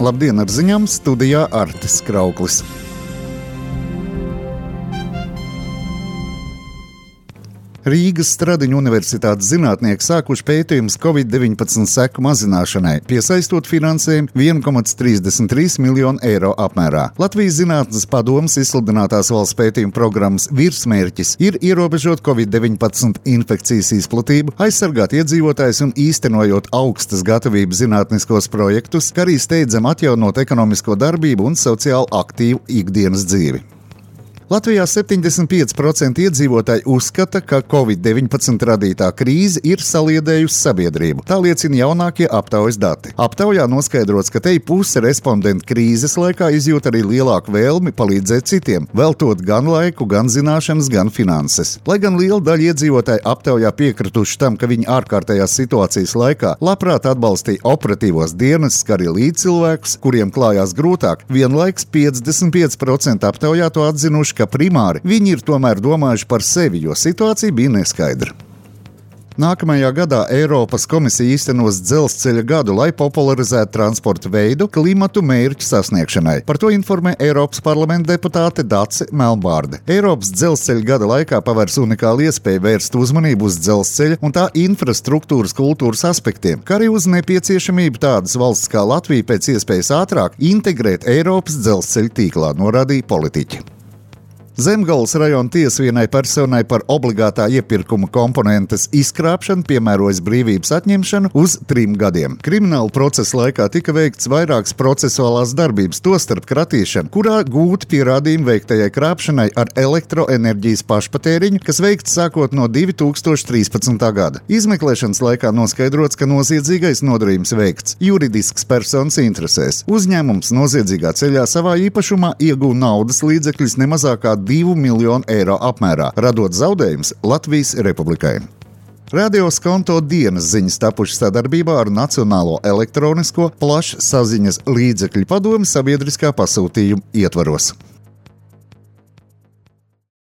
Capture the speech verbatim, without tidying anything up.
Labdien, ar ziņām studijā Artis Krauklis. Rīgas Stradiņu universitātes zinātnieki sākuši pētījumus covid deviņpadsmit seku mazināšanai, piesaistot finansējumu viens komma trīsdesmit trīs miljonu eiro apmērā. Latvijas Zinātnes padomes izsludinātās valsts pētījuma programmas virsmērķis ir ierobežot covid deviņpadsmit infekcijas izplatību, aizsargāt iedzīvotājus un īstenojot augstas gatavības zinātniskos projektus, kā arī steidzam atjaunot ekonomisko darbību un sociāli aktīvu ikdienas dzīvi. Latvijā septiņdesmit pieci procenti iedzīvotāji uzskata, ka covid deviņpadsmit radītā krīze ir saliedējusi sabiedrību. Tā liecina jaunākie aptaujas dati. Aptaujā noskaidrots, ka te puse respondentu krīzes laikā izjūt arī lielāku vēlmi palīdzēt citiem, veltot gan laiku, gan zināšanas, gan finanses. Lai gan liela daļa iedzīvotāji aptaujā piekrituši tam, ka viņi ārkārtējās situācijas laikā labprāt atbalstīja operatīvos dienestus, kā arī līdzcilvēkus, kuriem klājās grūtāk, vienlaiks piecdesmit pieci procenti aptaujā to atzinuši, ka primāri viņi ir tomēr domājuši par sevi, jo situācija bija neskaidra. Nākamajā gadā Eiropas komisija īstenos dzelzceļa gadu, lai popularizētu transporta veidu klimatu mērķu sasniegšanai. Par to informē Eiropas parlamenta deputāte Dace Melbārde. Eiropas dzelzceļa gada laikā pavērs unikālu iespēju vērst uzmanību uz dzelzceļa un tā infrastruktūras kultūras aspektiem, kā arī uz nepieciešamību tādas valsts kā Latvija pēc iespējas ātrāk integrēt Eiropas dzelzceļa tīklā, norādīja politiķi. Zemgales rajona tiesa vienai personai par obligātā iepirkuma komponentes izkrāpšanu piemērojas brīvības atņemšanu uz trim gadiem. Krimināla procesa laikā tika veikts vairākas procesuālās darbības, tostarp kratīšana, kurā gūti pierādījumi veiktajai krāpšanai ar elektroenerģijas pašpatēriņu, kas veikts sākot no divi tūkstoši trīspadsmitā gada. Izmeklēšanas laikā noskaidrots, ka noziedzīgais nodarījums veikts juridisks personas interesēs. Uzņēmums noziedzīgā ceļā savā īpašumā ieguva naudas līdzekļus nemazākā divu miljonu eiro apmērā, radot zaudējumus Latvijas Republikai. Radio Skonto dienas ziņas tapušas sadarbībā ar Nacionālo elektronisko plašsaziņas līdzekļu padomi sabiedriskā pasūtījuma ietvaros.